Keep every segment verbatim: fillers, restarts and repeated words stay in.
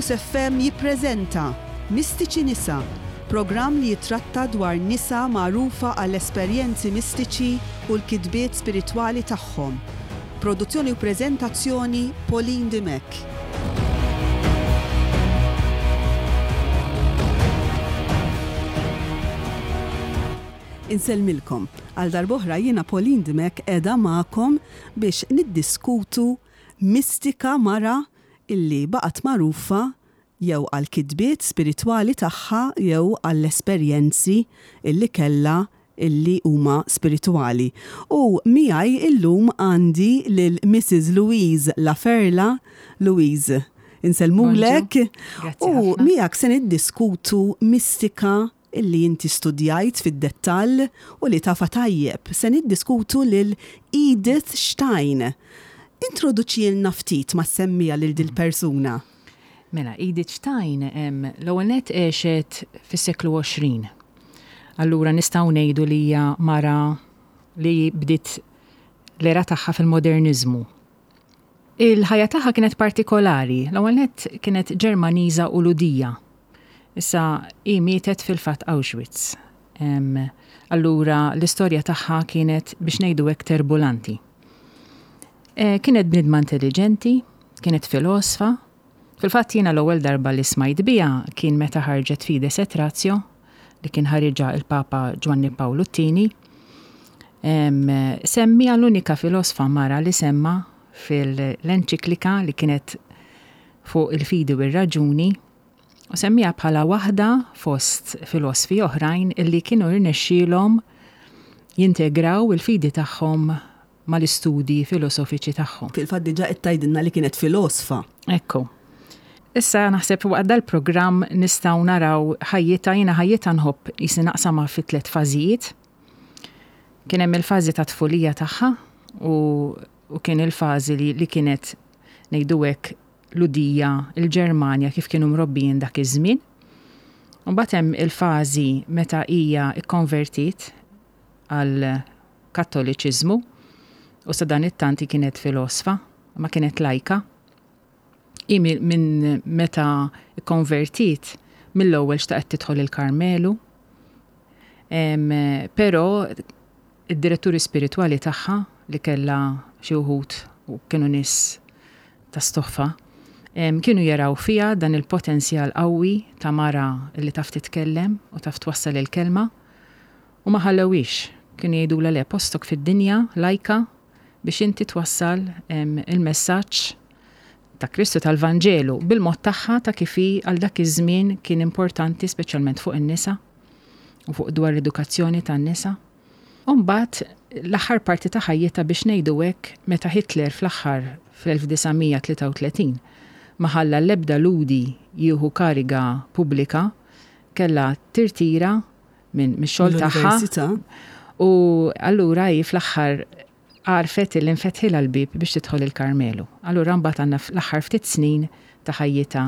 Campus F M jippreżenta Mistiċi Nisa, programm li jitratta dwar nisa magħrufa għall esperjenzi mistiċi u l-kitbiet spiritwali tagħhom. Produzzjoni u preżentazzjoni, Pauline Dimech. Insellmilkom. Għal darb'oħra jiena, Pauline Dimech, qiegħda magħkom biex niddiskutu mistika mara illi baqgħet magħrufa jew għal kitbiet spiritwali tagħha jew għall esperjenzi illi kellha illi huma spiritwali. U miegħi illum għandi lil Missus Louise Laferla. Louise, insellmulek. Grazzi U ħafna. miegħek se niddiskutu mistika illi inti studjajt fid-dettall u li tafa tajjeb. Se niddiskutu lil Edith Stein. Introduċilna ftit ma semmija lil dil persuna. Mela, Edith Stein em, l-ewwel nett għexet fis-seklu għoxrin. Allura nistgħu ngħidu li hija mara li bdiet l-era tagħha fil-moderniżmu. Il-ħajja tagħha kienet partikolari. L-ewwel nett kienet Ġermaniża u Lhudija. Issa hi mietet fil-fatt Auschwitz. Em, allura l-istorja tagħha kienet, biex ngħidu hekk, turbulanti. E, kienet bnidma intelligenti, kienet filosfa. Fil-fatt jiena l-ewwel darba li smajt biha kien meta ħarġet Fides et Ratio li kien ħariġha il-Papa Ġwanni Pawlu t-Tieni. Semmija l-unika filosfa mara li semma fil-enċiklika li kienet fuq il-fidi u r-raġuni u semmija bħala waħda fost filosfi oħrajn illi kienu rnexxielhom jintegraw il-fidi tagħhom mal-istudji filosofiċi tagħhom. Fil-fatt diġà qed tgħidilna li kienet filosfa. Ekku. Issa naħseb waqt dal-programm nistgħu naraw ħajjitha. Jiena ħajjitha nħobb jisi naqsamha fi tliet fażijiet. Kien hemm il-fażi ta' tfulija tagħha u, u kien il-fażi li, li kienet, ngħidu hekk, Lhudija, il-Ġermanja, kif kienu mrobbijin dak iż-żmien. U mbagħad hemm il-fażi meta hija ikkonvertit għal Kattoliċiżmu u sa dan it-tanti kienet filosfa, ma kienet lajka. I minn meta konvertit mill-ewwel xtaqet tidħol il-Karmelu. Però id-diretturi spiritwali tagħha, li kellha xi wħud u kienu nies ta' stoffa, kienu jaraw fija dan il-potenzjal qawwi ta' mara li taf titkellem u taf twassal il-kelma u ma ħallewix. Kienu jgħidu le, postok fid-dinja lajka biex inti twassal il-messaġġ ta' Kristu, tal-Vanġelu, bil-mod tagħha ta' kif hi għal dak iż-żmien kien importanti, speċjalment fuq in-nisa u fuq dwar l-edukazzjoni tan-nisa. U mbagħad l-aħħar parti ta' ħajjitha, biex ngħidu hekk, meta Hitler fl-aħħar fl-elf disa' mija tlieta u tletin ma ħalla l-ebda Lhudi jieħu kariga pubblika, kellha tirtira minn mix-xogħol tagħha. L-università. U allura hi fl-aħħar għarfet li nfetħilha l-bib biex tidħol il-Karmelu. Allura mbagħad għandna l-aħħar ftit snin ta' ħajjitha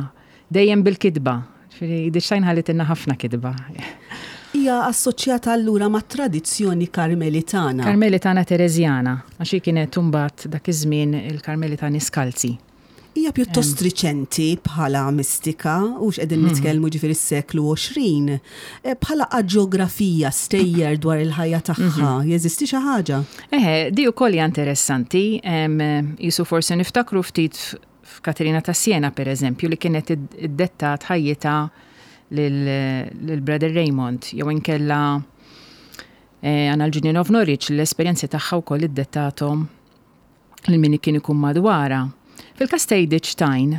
dejjem bil-kitba. Ġifieri Edith Stein ħallitilna ħafna kitba. Hija assoċjata allura ma' tradizzjoni karmelitana. Karmelitana Terezjana, għax hi kienet imbagħad dak iż-żmien il-Karmelitani Skalzi. Hija pjuttost riċenti bħala mistika, u x'qegħdin nitkellmu, ġifieri s-seklu għoxrin. Eh, Bħala aġografija, stejjer dwar il-ħajja tagħha, jeżisti xi ħaġa? Eħe, di ukoll hija interessanti, em, jisu forsi niftakru ftit f'Katerina ta' Siena, per eżempju, li kienet id- iddettat ħajjitha lil Brother Raymond, jew inkella eh, għandna l-Julian of Norwich, l-esperjenzi tagħha wkoll iddettathom lil min kien ikun madwarha. Fil-każ ta' Edith Stein,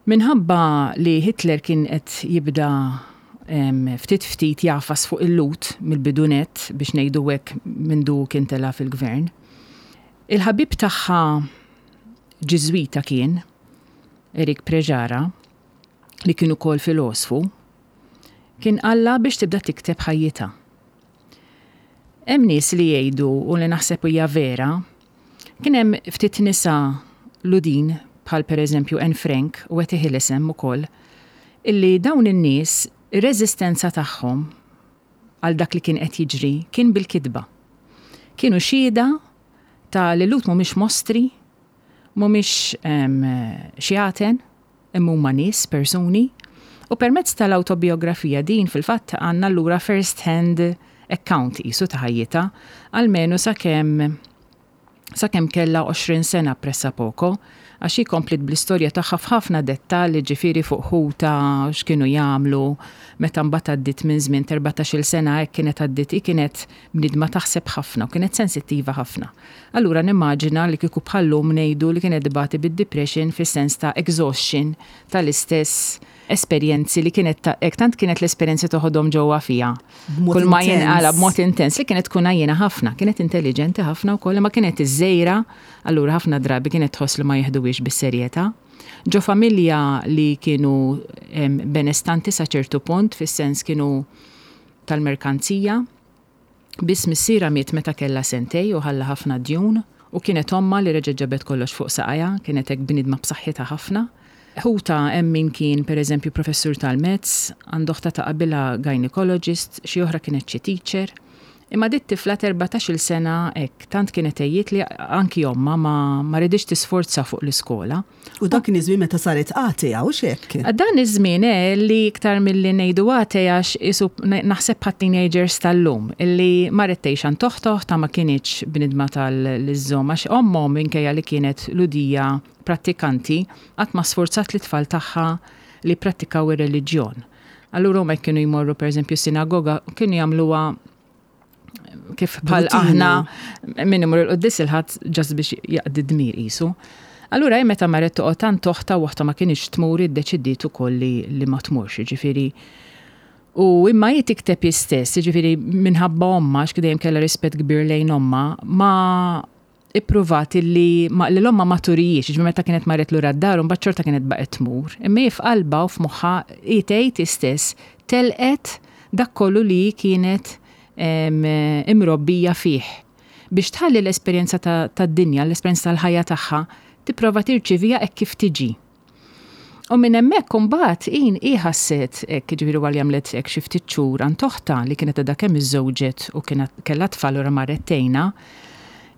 minħabba li Hitler kien qed jibda em, ftit ftit jagħfas fuq il-Lhud mill-bidunet, biex ngħidu hekk, mindu kien tela fil-gvern. Il-ħabib tagħha Ġiżwita kien Erik Preġara, li kien ukoll filosfu, kien qalla biex tibda tikteb ħajjitha. Hemm nies li jgħidu, u li naħseb hija vera, kien hemm ftit nisa Lhudin bħal pereżempju Anne Frank u Etty Hillesum ukoll, illi dawn in-nies ir-reżistenza tagħhom għal dak li kien qed jiġri kien bil-kitba. Kienu xhieda ta' li Lhud mhumiex mostri, mhumiex em, xjaten. imma huma nies, persuni. U permezz tal-autobiografija din fil-fatt għandna allura first hand account qisu ta' ħajjitha, almenu sakemm sakemm kellha għoxrin sena pressapoko, għax hi kompliet bl-istorja tagħha f'ħafna dettalji, ġifieri fuq ħuta, x'kienu jagħmlu, meta mbagħad għaddiet minn żmien erbatax-il sena hekk kienet għaddiet, hi kienet bniedma taħseb ħafna u kienet sensittiva ħafna. Allura nimmaġina li kieku bħallum ngħidu li kienet tbati bid-depression fis-sens ta' exhaustion tal-istess esperjenzi li kienet ta' hekk tant kienet l-esperjenzi toħodhom ġewwa fiha. B'mod Kull ma intens. jinqala b'mod intens li kienet tkun għajjena ħafna, kienet intelligenti ħafna wkoll, ma kienet iż-żejra, allura ħafna drabi kienet tħoss li ma jeħduhiex bis-serjetà. Ġo familja li kienu em, benestanti sa ċertu punt, fis-sens kienu tal-merkanzija, biss missiera miet meta kellha sentej u ħalla ħafna djun, u kienet omma li reġgħet ġabet kollox fuq saqajha, kienet hekk bniedma b'saħħitha ħafna. Ħuta hemm min kien pereżempju professur tal-mezz, għandu oħta ta' qabilha gynecologist, xi oħra kienet xi teacher. Imma dit tifla erbatax-il sena hekk, tant kienet għejjiet li anki omma ma, ma ridix tisforza fuq l-iskola. U dak kien iż-żmien meta saret atea, u xek? Dan iż-żmien eh, li iktar milli ngħidu atea għax isu naħseb bħat teenagers tal-lum, illi marret tgħix għand oħtha, ta' ma kinitx bnidma tal-iżżomm, għax ommhom minkejja li kienet Lhudija prattikanti, qatt ma sforzat l-tfal tagħha li prattikaw ir-reliġjon. Allura huma kienu jmorru pereżempju sinagoga, kienu jagħmluha kif bħal Rutina. aħna min imur il-quddies il-Ħadd just biex jaqdi dmir qisu. Allura hi meta marret toqgħod għand oħtha u oħtha ma kienx tmur, iddeċidiet ukoll li, li ma tmurx, jiġifieri. U imma hi tikteb hi stess, jiġifieri minħabba omma, għax dejjem kellha rispett kbir lejn omma, ma ippruvat li ma, li l-omma ma turijiex, jiġifieri meta kienet marret lura d-dar, u mbagħad xorta kienet baqgħet tmur. Imma hi f'qalbha u f'moħħha hi tgħid hi stess telqet dak kollu li kienet em, imrobbija fih. Biex tħalli l-esperjenza ta' tad-dinja, l-esperjenza tal-ħajja tagħha, tipprova tirċivija hekk kif tiġi. U minn hemmhekk imbagħad in hi ħasset hekk, jiġifieri wara li għamlet hekk xi ftit xhur għand oħtha li kienet għadha kemm iżżewġet u kienet kellha tfal u marret tgħinha,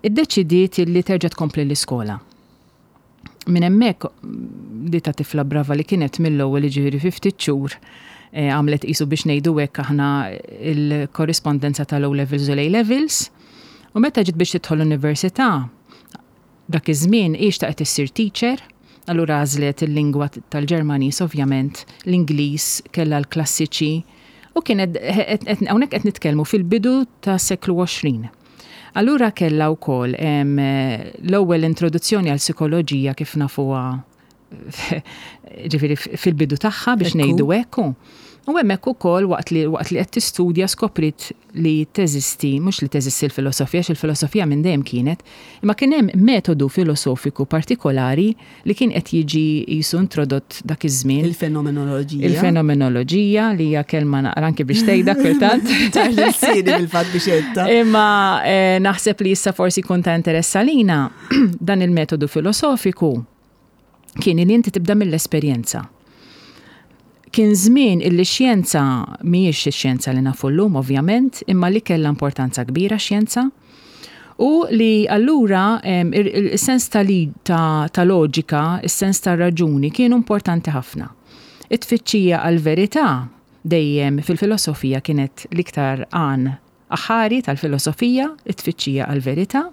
iddeċidiet li terġa' tkompli l-iskola. Minn hemmhekk di ta' tifla brava li kienet mill-ewwel, jiġifieri fi ftit xhur eh, għamlet qisu biex ngħidu hekk aħna il-korrispondenza tal-O levels u l-A levels. U meta ġiet biex tidħol l-università, dak iż-żmien hi xtaqet issir teacher, allura għażlet il-lingwa tal-Ġermaniż ovvjament, l-Ingliż, kellha l-klassiċi, u kienet hawnhekk qed nitkellmu fil-bidu ta' seklu għoxrin. Allura kellha wkoll em, l-ewwel introduzzjoni għal psikoloġija kif nafuha, ġifieri fil-bidu tagħha biex Ekku. ngħidu hekk. U hemmhekk ukoll waqt li waqt li qed tistudja skoprit li teżisti, mhux li teżisti l-filosofija, għax il-filosofija minn dejjem kienet, imma kien hemm metodu filosofiku partikolari li kien qed jiġi qisu introdott dak iż-żmien. Il-fenomenoloġija. Il-fenomenoloġija li hija kelma naqra anke biex tgħidha kultant. Tarġelsini bil-fatt biex għedtha. Imma eh, naħseb li issa forsi kun ta' interess għalina dan il-metodu filosofiku kien li inti tibda mill-esperjenza. Kien żmien illi xjenza mhijiex ix-xjenza li nafu llum ovvjament, imma li kellha importanza kbira xjenza. U li allura em, il- il- il-sens ta' li- ta' ta' loġika, il-sens ta' raġuni kienu importanti ħafna. It-tfittxija għal-verità dejjem fil-filosofija kienet l-iktar għan aħari tal-filosofija, it-tfittxija għal-verità.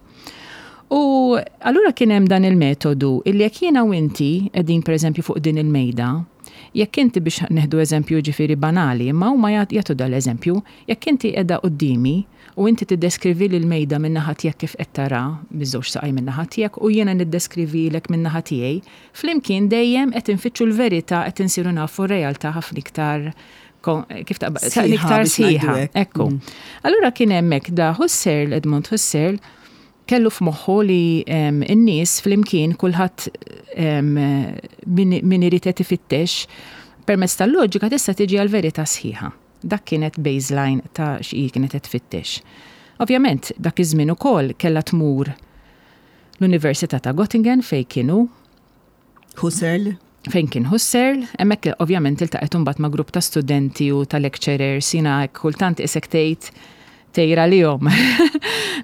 U allura kien hemm dan il-metodu illi jekk jiena u inti qegħdin pereżempju fuq din il-mejda, jekk inti biex neħdu eżempju ġifieri banali, imma huma jagħtu jagħtu dal-eżempju, jekk inti qiegħda quddiemi u inti tiddeskrivi lil mejda minn naħa tiegħek kif qed tara biż-żewġ saqaj minn naħa tiegħek u jiena niddeskrivilek minn naħa tiegħi, flimkien dejjem qed infittxu l-verità, qed insiru nafu r-realtà ħafna iktar kon- kif ta' Sħiħa iktar biex ngħidu sħiħa. hekk. Ekku. Allura kien hemmhekk da Husserl, Edmund Husserl, kellu f'moħħu li em, in-nies flimkien kulħadd em, min min irid qed ifittex permezz tal-loġika tista' tiġi għal verità sħiħa. Dak kienet baseline ta' xi kienet qed tfittex. Ovvjament, dak iż-żmien ukoll kellha tmur l-Università ta' Göttingen fejn kienu Husserl. fejn kien Husserl, hemmhekk ovvjament iltaqgħet imbagħad ma' grupp ta' studenti u ta' lecturers, jiena hekk kultant isek tgħid Tejra lihom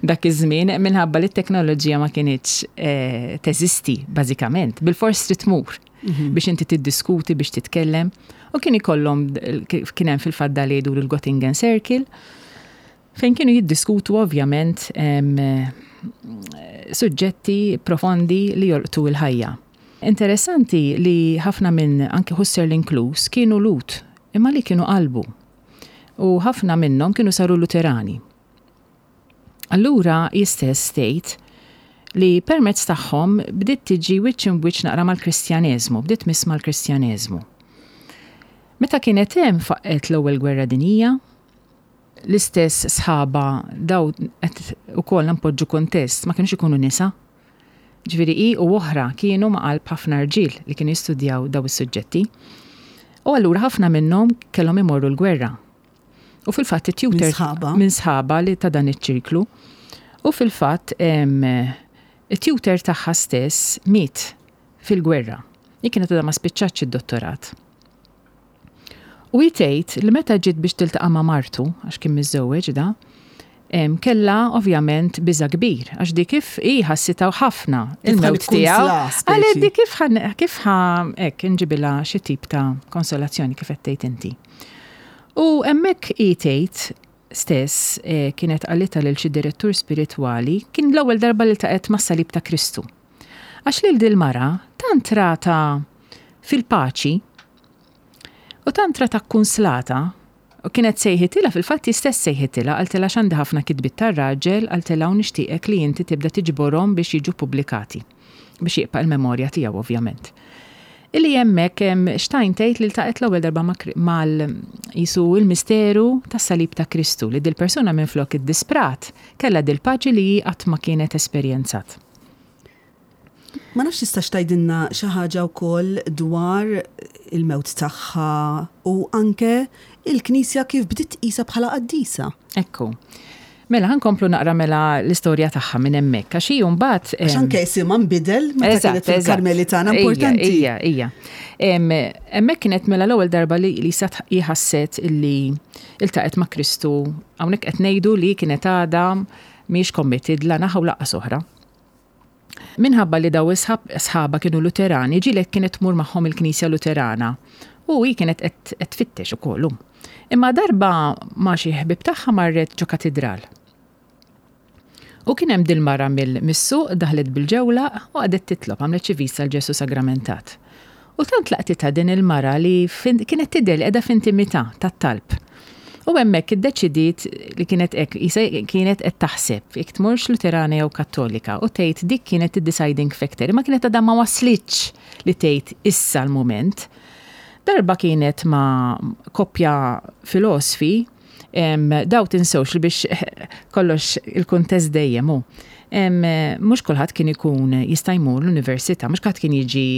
dak iż-żmien minħabba li t-teknoloġija ma kinitx eh, teżisti bażikament. Bil-fors trid tmur mhm. biex inti tiddiskuti, biex titkellem. U kien ikollhom, kien hemm fil-fatt li jgħidu l-Göttingen Circle, fejn kienu jiddiskutu ovvjament suġġetti profondi li jolqtu il-ħajja. Interessanti li ħafna minn anki Husserl inkluż kienu Lhud, imma li kienu qalbu. U ħafna minnhom kienu saru Luterani. Allura jistess state li permezz tagħhom bdiet tiġi wiċċ imb wiċċ naqra mal-Kristjaneżmu, bdiet tmiss mal-Kristjaneżmu. Meta kienet hemm faqqet l-Ewwel Gwerra Dinjija, l-istess sħaba daw qed ukoll npoġġu kontest, ma kienux ikunu nisa. Ġifieri hi u oħra kienu ma' qalb ħafna rġiel li kienu jistudjaw daw is-suġġetti. U allura ħafna minnhom kellhom imorru l-gwerra. U fil-fatt it-tutor minn sħaba li ta' dan iċ-ċirklu. U fil-fatt it-tutor tagħha stess miet fil-gwerra. Hi kienet għadha ma spiċċatx id-dottorat. U tgħid li meta ġiet biex tiltaqa' ma' martu, għax kien miżżewweġ da, kella ovvjament biża kbir, għax di kif hi ħassitha ħafna il-mewt tiegħu. Għalet di kif kif ħa hekk inġibilha xi tip ta' konsolazzjoni, kif qed tgħid inti. U hemmhekk hi tgħid stess eh, kienet qalitha lil xi direttur spiritwali, kien l-ewwel darba li ltaqgħet mas-salib ta' Kristu. Għax lil dil-mara tant rata fil-paċi u tant rata kkunslata u kienet sejħitilha, fil-fatt stess sejħitilha, qaltilha x'għandi ħafna kitbiet tar-raġel, qaltilha, u nixtieqek li inti tibda tiġborhom biex jiġu pubblikati, biex jibqa' il-memorja tiegħu ovvjament. Illi hemmhekk Stein tgħid li ltaqgħet l-ewwel darba mal jisu il-misteru tas-salib ta' Kristu, li dil-persuna minflok iddisprat kellha dil-paċi li qatt ma kienet esperjenzat. Ma nafx tistax tgħidilna xi ħaġa wkoll dwar il-mewt tagħha u anke il-Knisja kif bdiet tqisha bħala qaddisa. Ekku. Mela ħa nkomplu naqra mela l-istorja tagħha minn hemmhekk, għax hi mbagħad Għax anke isimha nbidel meta kienet fil-Karmelitana, importanti. Ija, ija. Hemmhekk kienet mela l-ewwel darba li li ħasset illi iltaqgħet ma' Kristu. Hawnhekk qed ngħidu li kienet għadha mhix committed la naħa u lanqas oħra. Minħabba li daw sħaba kienu Luterani, ġieli kienet tmur magħhom il-Knisja Luterana. U hi kienet qed tfittex ukoll. Imma darba ma' xi ħbib tagħha marret ġo katedral. U kien hemm dil-mara mill-suq daħlet bil-ġewla u qagħdet titlob, għamlet xi vista l Ġesu Sagramentat. U tant laqtitha din il-mara li kienet tidher li qiegħda f'intimità tat-talb. U hemmhekk iddeċidiet li kienet hekk kienet qed taħseb jekk tmurx Luterana jew Kattolika, u tgħid dik kienet id-deciding factor, ma kienet għadha ma waslitx li tgħid issa l-mument. Darba kienet ma' koppja filosfi, daw tinsewx li biex kollox il-kuntest dejjem hu. Mhux kulħadd kien ikun jista' jmur l-università, mhux kulħadd kien jiġi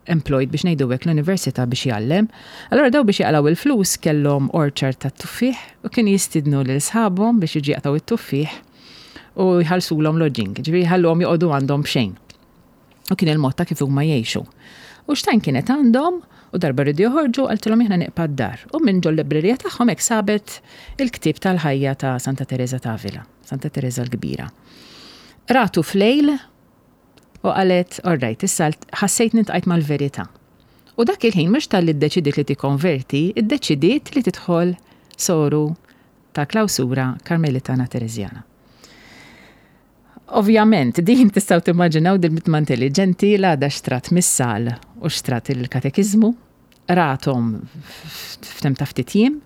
employed, biex ngħidu hekk, l-università biex jgħallem. Allora daw biex jaqlaw il-flus kellhom orchard tat-tuffieħ u kienu jistidnu lil sħabhom biex jiġi jaqtaw it-tuffieħ u jħallsulhom lodging, ġifieri jħalluhom joqogħdu għandhom b'xejn. U kien il-mod ta' kif huma jgħixu. U Stein kienet għandhom u darba rridu joħorġu, qaltilhom aħna nibqa' d-dar. U minn ġol librerija tagħhom hekk sabet il-ktieb tal-ħajja ta' Santa Teresa ta' Avila, Santa Teresa l-Kbira. Ratu flejl u qalet, "All right, issa ħassejt iltqajt mal-verità." U dak il-ħin mhux talli ddeċidiet li tikkonverti, iddeċidiet li tidħol soru ta' klawsura Karmelitana Tereżjana. Ovvjament, din tistgħu timmaġinaw dil-mitma intelligenti l-għada xtrat missal u xtrat il-katekizmu, rathom f'temp ta' ftit jiem,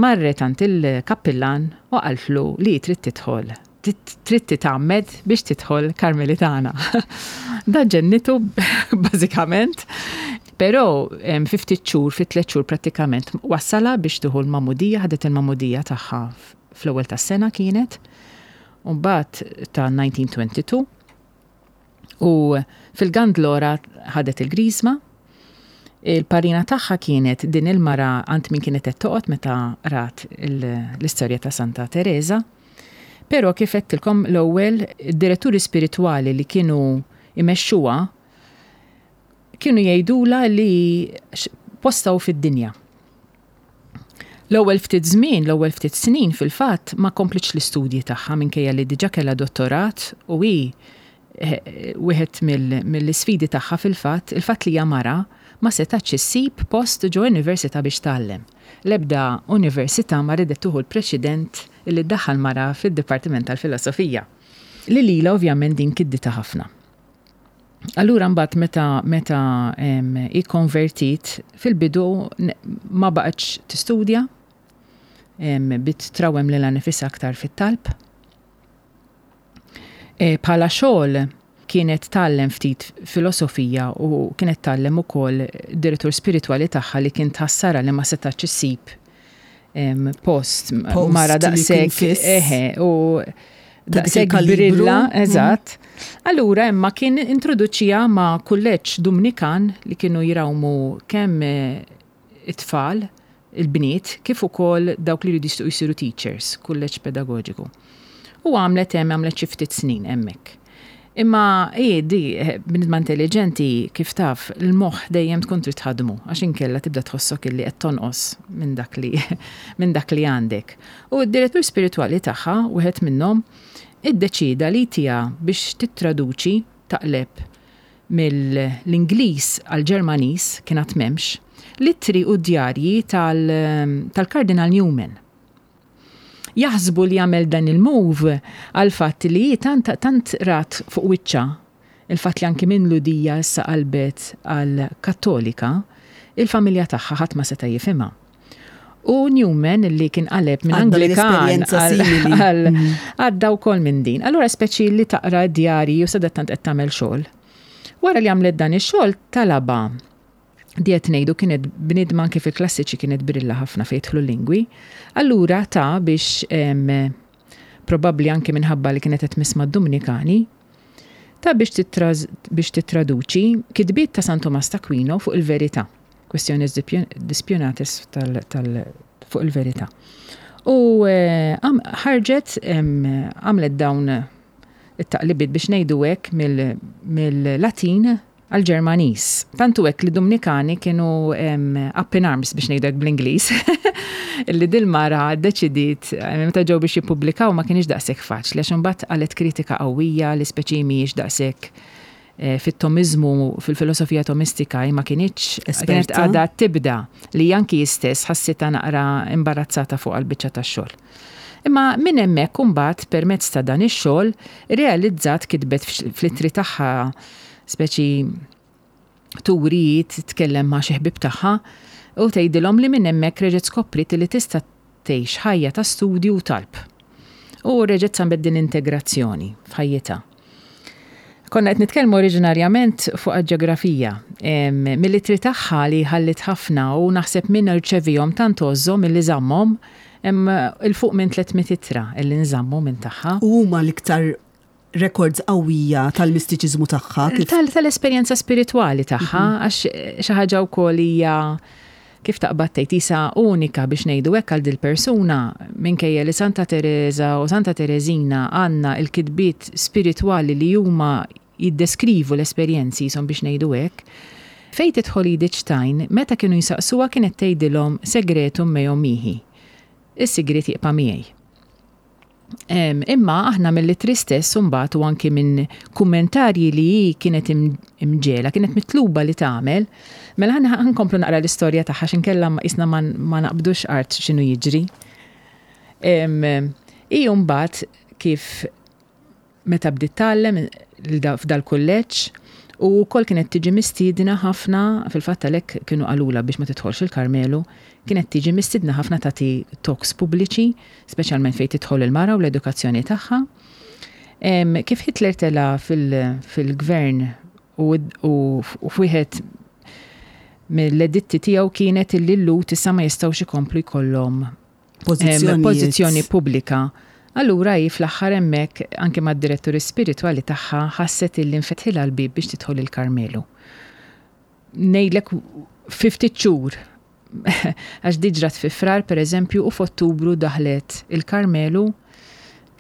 marret għand il-kappillan u qaltlu li trid tidħol, trid titgħammed biex tidħol Karmelitana. Da ġennitu bażikament, però fi ftit xhur, fi tliet xhur prattikament wassala biex tieħu l-magħmudija, ħadet il-magħmudija tagħha fl-ewwel tas-sena kienet, u mbagħad ta' elf disa' mija u tnejn u għoxrin, u fil-Gandlora ħadet il-Griżma. Il-parrina tagħha kienet din il-mara għand min kienet qed toqgħod meta rat l-istorja ta' Santa Teresa. Però kif għedtilkom l-ewwel, id-diretturi spiritwali li kienu imexxuha kienu jgħidula li postaw fid-dinja. L-ewwel ftit żmien, l-ewwel ftit snin fil-fatt ma komplitx l-istudji tagħha minkejja li diġà kellha dottorat u hi eh, wieħed mill-isfidi tagħha fil-fatt, il-fatt li hija mara ma setax issib post ġo università biex tgħallem. L-ebda università ma ridet tieħu l-preċedent li ddaħħal mara fid-Dipartiment tal-Filosofija. Li lila ovvjament din kidditha ħafna. Allura mbagħad meta meta ikkonvertit fil-bidu ma baqgħetx tistudja, bdiet trawwem lilha nifisha aktar fit-talb. E, bħala xogħol kienet tgħallem ftit filosofija u kienet tgħallem ukoll direttur spiritwali tagħha li kien tħassara li ma setax issib post mara daqshekk eħe u daqshekk brilla, eżatt. Allura imma kien introduċiha ma' kulleġġ Dumnikan li kienu jrawmu kemm it-tfal, il-bniet, kif ukoll dawk li jridu jsiru teachers, kulleġġ pedagogiku. U għamlet hemm għamlet xi ftit snin hemmhekk. Imma hi di bniedma intelligenti kif taf, il-moħħ dejjem tkun trid tħaddmu għax inkella tibda tħossok illi qed tonqos minn dak li minn dak li għandek. U d-direttur spiritwali tagħha, wieħed minnhom, iddeċida li tija biex tittraduċi taqleb mill-Ingliż għal-Ġermaniż kien għad m'hemmx, l-ittri u djarji tal-Kardinal Newman. Jaħsbu li għamel dan il-move għal fatt li tant, tant rat fuq wiċċha il-fatt li anki minn Lhudija issa qalbet għal Kattolika, il-familja tagħha ħadd ma seta' jifhimha. U Newman li kien qaleb minn Anglikan għal għadda wkoll minn din. Allura speċi li taqra djarji u sadattant qed tagħmel xogħol. Wara li għamlet dan ix-xogħol talaba diet ngħidu kienet bniedma anke fil-klassiċi kienet brilla ħafna fejn jidħlu lingwi. Allura ta' biex probabbli anke minħabba li kienet qed tmiss mad-Dominikani, ta' biex biex titraduċi kitbiet ta' San Tomas ta' Aquino fuq il-verità. Quaestiones Disputationes tal, tal, fuq il-verità. U ħarġet għamlet dawn it-taqlibiet biex ngħidu hekk mill-Latin għal-Ġermaniż. Tantu hekk li Dominikani kienu up in arms biex ngħidu hekk bl-Ingliż. Li dil-mara ddeċidiet meta ġew biex jippubblikaw ma kienx daqshekk faċli għax imbagħad qalet kritika qawwija li speċi mhijiex daqshekk fit-tomizmu, fil-filosofija tomistika ma kinitx kienet għadha tibda li anki stess ħassitha naqra imbarazzata fuq għal-biċċa tax-xogħol. Imma minn hemmhekk imbagħad permezz ta' dan ix-xogħol realizzat kitbet fl-ittri tagħha speċi turi titkellem ma' xi ħbieb tagħha u tgħidilhom li minn hemmhekk reġgħet skopriet li tista' tgħix ħajja ta' studju u talb. U reġgħet sabet din integrazzjoni f'ħajjitha. Konna qed nitkellmu oriġinarjament fuq ġeografija. Mill-ittri tagħha li ħallit ħafna u naħseb minn irċevihom tant għożżhom milli żammhom hemm 'il fuq minn tliet mitt ittra li nżammu minn tagħha. U huma l-iktar records qawwija tal-mistiċiżmu tagħha. Tal-esperjenza spiritwali tagħha, għax xi ħaġa wkoll hija kif taqbad tgħid isa unika biex ngħidu hekk għal dil-persuna minkejja li Santa Teresa u Santa Teresina għandna il-kitbiet spiritwali li huma jiddeskrivu l-esperjenzi jisom biex ngħidu hekk. Fejn tidħol Edith Stein, meta kienu jisaqsuha kienet tgħidilhom segretum meum mihi. Is-sigriet jibqa' miegħi. Imma aħna mill-ittri stess imbagħad u anki minn kummentarji li hi kienet imġiegħla, kienet mitluba li tagħmel, mela ħa nkomplu naqra l-istorja tagħha x'inkella isna ma naqbdux art x'inhu jiġri. Hi mbagħad kif meta bdiet tgħallem f'dal-kulleġġ u wkoll kienet tiġi mistiedna ħafna, fil-fatt għalhekk kienu qalula biex ma tidħolx il-Karmelu, kienet tiġi mistiedna ħafna tagħti talks pubbliċi, speċjalment fejn tidħol il-mara u l-edukazzjoni tagħha. Kif Hitler tela fil-gvern u f'wieħed mill-editti tiegħu kienet illi l-Lhud issa ma jistgħux ikomplu jkollhom pożizzjoni pubblika. Allura hi fl-aħħar hemmhekk anke mad-diretturi spiritwali tagħha ħasset illi nfetħilha l-bieb biex tidħol il-Karmelu. Ngħidlek fi ftit xhur għax di ġrat fi Frar pereżempju u f'Ottubru daħlet il-Karmelu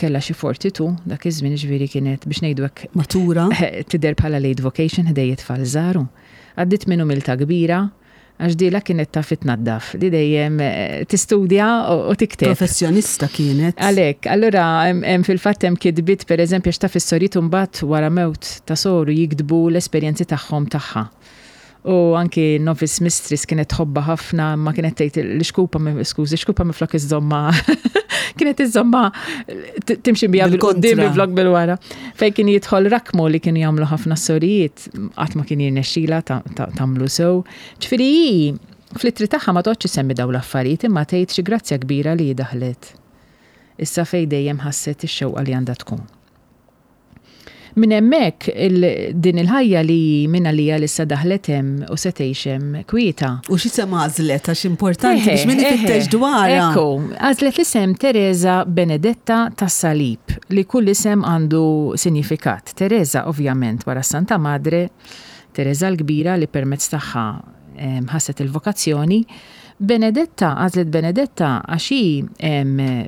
kellha xi forty-two dak iż-żmien ġifieri kienet biex ngħidu hekk matura tidher bħala late vocation ħdejja tfal żgħar. Għaddiet minn umiltà kbira Għax dila kienet taf tnaddaf, li dejjem eh, tistudja u tikteb. Professjonista kienet. Għalek, allura hemm fil-fatt hemm kitbiet, pereżempju, għax taf is-sorijiet mbagħad wara mewt ta' soru jiktbu l-esperjenzi tagħhom tagħha. U anki Novice Mistress kienet tħobba ħafna, ma kienet tgħid l-xkupa, skużi, xkupa minflok iżżommha, kienet iżżommha timxi biha bil-quddiem minflok bil-wara. Fejn kien jidħol rakmu li kienu jagħmlu ħafna sorijiet, qatt ma kien jirnexxila tagħmlu sew. Ġifieri hi fl-ittri tagħha ma toqgħodx isemmi dawn l-affarijiet, imma tgħid xi grazzja kbira li daħlet. Issa fej dejjem ħasset ix-xewqa li għandha tkun. Minn hemmhekk din il-ħajja li minna li issa daħlet hemm u se tgħix hemm kwieta. U x'isem għażlet, għax importanti biex min ifittex dwarha. Ekku, għażlet l-isem Teresa Benedetta tas-Salib, li kull isem għandu sinifikat. Teresa ovvjament wara Santa Madre, Teresa l-Kbira li permezz tagħha ħasset il-vokazzjoni. Benedetta, għażlet Benedetta għax hi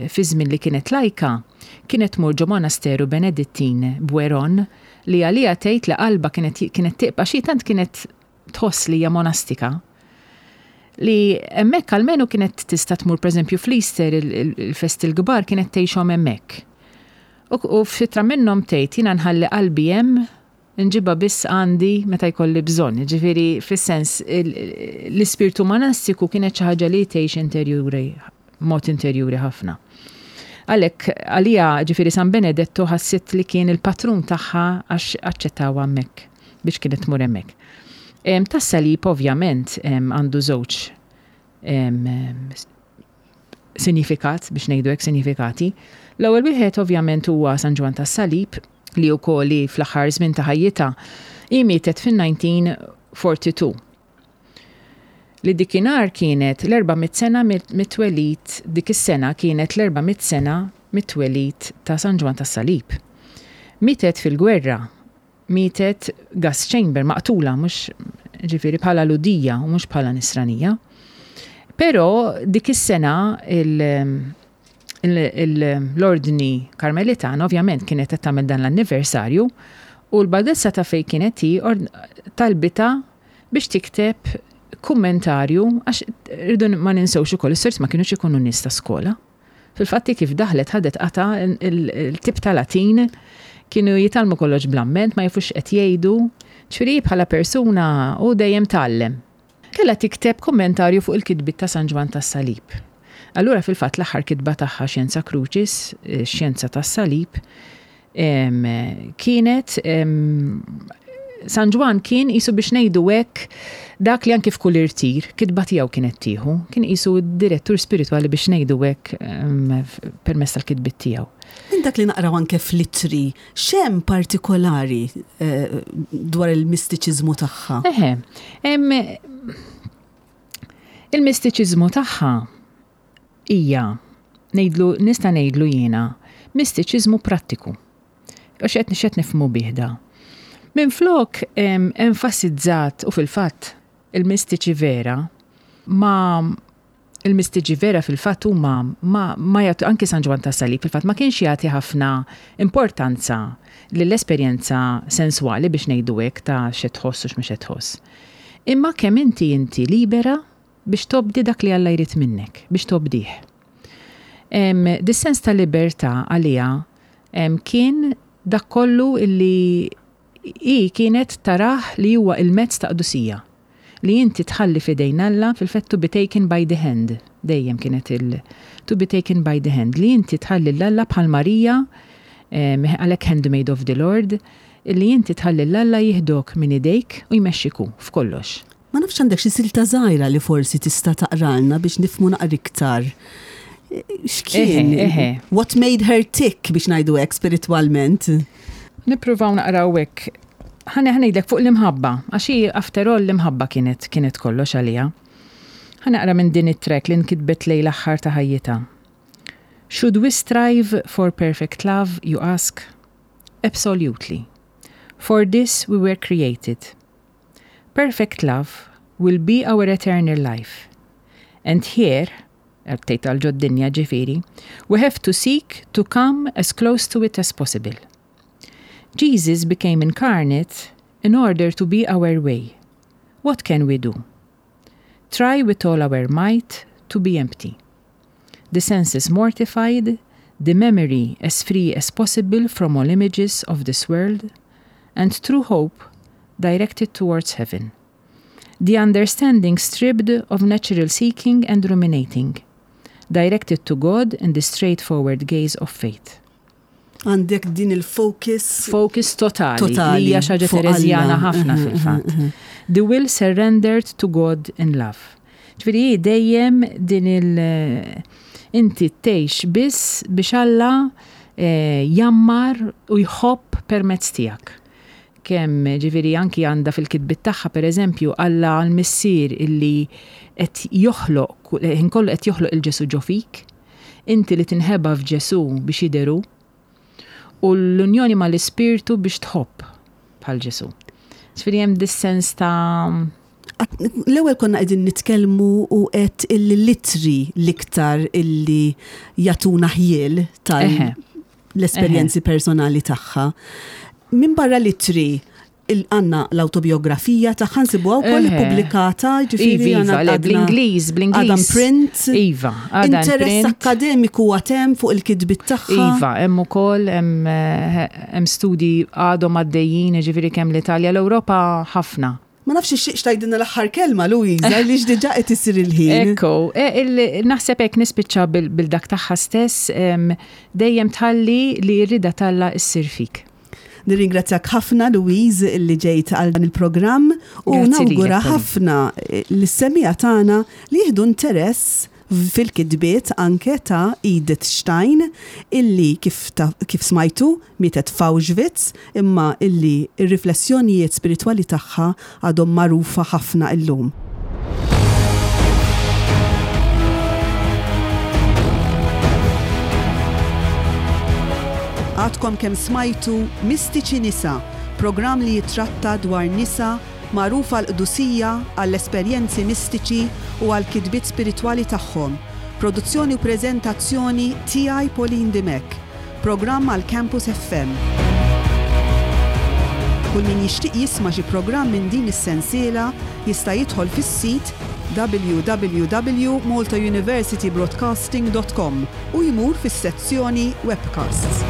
fi żmien li kienet lajka, kienet tmur ġo monasteru Benedittin Bouêron, li għalija tgħid li qalba kienet kienet tibqa' xi tant kienet tħoss li hija monastika, li hemmhekk almenu kienet tista' tmur, pereżempju, fl-Easter, il-festi l-kbar kienet tgħixhom hemmhekk. U f'ittra minnhom tgħid, "Jiena nħalli qalbi hemm, nġibha biss għandi meta jkolli bżonn." Ġifieri fis-sens l-ispirtu monastiku kienet xi ħaġa li tgħix interjuri, mod interjuri ħafna. Għalhekk għalija, ġifieri, San Benedetto ħassit li kien il-patrun tagħha għax aċċettawha hemmhekk biex kienet tmur hemmhekk. Tas-salib ovvjament għandu żewġ sinifikat, biex ngħidu hekk, sinifikati. L-ewwel wieħed ovvjament huwa San Ġwann tas-Salib, li wkoll li fl-aħħar żmien ta' ħajjitha, hi mietet fin-elf disa' mija u erbgħa u erbgħin. Li dikinhar kienet l-erba' mitt sena mit-twelid, dik is-sena kienet l-erba' mitt sena mit-twelid ta' San Ġwann tas-Salib. Mietet fil-gwerra, mietet gas chamber, maqtula, mhux ġifieri bħala Lhudija u mhux bħala Nisranija. Però dik is-sena l-ordni Karmelitan ovvjament kienet qed tagħmel dan l-anniversarju u l-badessa ta' fej kienet hi talbitha biex tikteb kummentarju, għax rridu ma ninsewx ukoll is-sors ma kienux ikunu nies ta' skola. Fil-fatti kif daħlet ħadet qata il-tip ta' Latin, kienu jitgħallmu kollox bl-amment, ma jafux qed jgħidu, ġifieri bħala persuna u dejjem tgħallem. Kellha tikteb kommentarju fuq il-kitbit ta' San Ġwann tas-Salib. Allura fil-fatt l-aħħar kitba tagħha, Scientia Crucis, Xjenza tas-Salib, kienet San Ġwann kien qisu, biex ngħidu hekk, dak li anki f'kull irtir, kitba tiegħu kienet tieħu, kien qisu direttur spiritwali, biex ngħidu hekk, permezz tal-kitbit tiegħu. Minn dak li naqraw anke fl-ittri, x'hemm partikolari eh, dwar il-mistiċiżmu tagħha? Eħe, il-mistiċiżmu tagħha hija, ngħidlu, nista' ngħidlu jiena, mistiċiżmu prattiku. U x'qed x'qed nifhmu bih da? Minflok enfasizzat, u fil-fatt il-mistiċi vera ma il-mistiċi vera fil-fatt huma ma, ma jagħtu, anki San Ġwann ta' Salib fil-fatt ma kienx jagħti ħafna importanza lill-esperjenza senswali, biex ngħidu hekk, ta' x'qed tħoss u x'mhux qed tħoss. Imma kemm inti inti libera biex tobdi dak li Alla jrid minnek, biex tobdih. Dis-sens ta' libertà għalija kien dak kollu illi i kienet tarah li huwa il-mezz ta' qdusija. Li inti tħalli fidejn Alla, fil-fatt to be taken by the hand. Dejjem kienet il to be taken by the hand. Li inti tħalli l-Alla bħal Marija, għalhekk handmaid of the Lord, li inti tħalli l-Alla jieħdok minn idejk u jmexxiku f'kollox. Ma nafx għandek xi silta żgħira li forsi tista' taqralna biex nifhmu naqra iktar. X'kien? What made her tick, biex ngħidu hekk, spiritwalment? Nippruvaw naqraw hekk. Ħa ngħidlek fuq l-imħabba, għax hi after all l-imħabba kienet kienet kollox għalija. Ħa naqra minn din it-tract li nkitbet lejn l-aħħar ta' ħajjitha. "Should we strive for perfect love, you ask? Absolutely. For this we were created. Perfect love will be our eternal life. And here," tgħid għal ġod-dinja ġifieri, "we have to seek to come as close to it as possible. Jesus became incarnate in order to be our way. What can we do? Try with all our might to be empty. The senses mortified, the memory as free as possible from all images of this world, and true hope directed towards heaven. The understanding stripped of natural seeking and ruminating, directed to God in the straightforward gaze of faith. Għandek din il-focus. Focus totali. Totali, Li hija xi ħaġa fuq Terezjana Alla. ħafna Mhm, fil-fatt. The will surrendered to God in love. Ġifieri hi dejjem din il- inti tgħix biss biex Alla eh, jammar u jħobb permezz tiegħek. Kemm ġifieri anki għandha fil-kitbiet tagħha pereżempju Alla l-missier illi qed joħloq ħin kollu qed joħloq il-Ġesu ġo fik, inti li tinħeba f'Ġesu biex jidher hu, u l-unjoni mal-ispirtu biex tħobb bħal Ġesu. Ġifieri hemm dis-sens ta' L-ewwel konna qegħdin nitkellmu u qed illi l-ittri l-iktar illi jagħtuna ħjiel tal Eħe. l-esperjenzi personali tagħha. Min barra l-ittri għandna l-autobiografija tagħha nsibuha wkoll Eħe. ippubblikata, ġifieri Iva, għandna iva, le, għadna- bl-Ingliż, bl-Ingliż. Għadha print. Iva, għadha in Interess print. akademiku għatem fuq il-kitbiet tagħha. Iva, hemm ukoll hemm eh, hemm studji għadhom għaddejjin, ġifieri kemm l-Italja, l-Ewropa ħafna. Ma nafx ix tgħidilna l-aħħar kelma, Luisa, li diġà qed isir il-ħin. Ekku, e, il- naħseb hekk nispiċċa bil- bil-dak tagħha stess, em, dejjem tħalli li r-rida t'Alla issir fik. Nirringrazzjak ħafna Louise illi ġejt għal dan il-programm u Grazzi lilek, nawgura Pauline. ħafna lis-semmiegħa tagħna li jieħdu interess fil-kitbiet anke ta' Edith Stein illi kif, ta, kif smajtu mietet f'Auschwitz imma illi ir-riflessjonijiet spiritwali tagħha għadhom magħrufa ħafna illum. Għadkom kemm smajtu Mistiċi Nisa, programm li jitratta dwar nisa magħrufa għall-qdusija, għall-esperjenzi mistiċi u għall-kitbiet spiritwali tagħhom. Produzzjoni u preżentazzjoni tiegħi Pauline Dimech. Programm għal Campus F M. Kull min jixtieq jisma' xi programm minn din is-sensiela jista' jidħol fis-sit w w w punt maltauniversitybroadcasting punt com u jmur fis-sezzjoni Webcasts.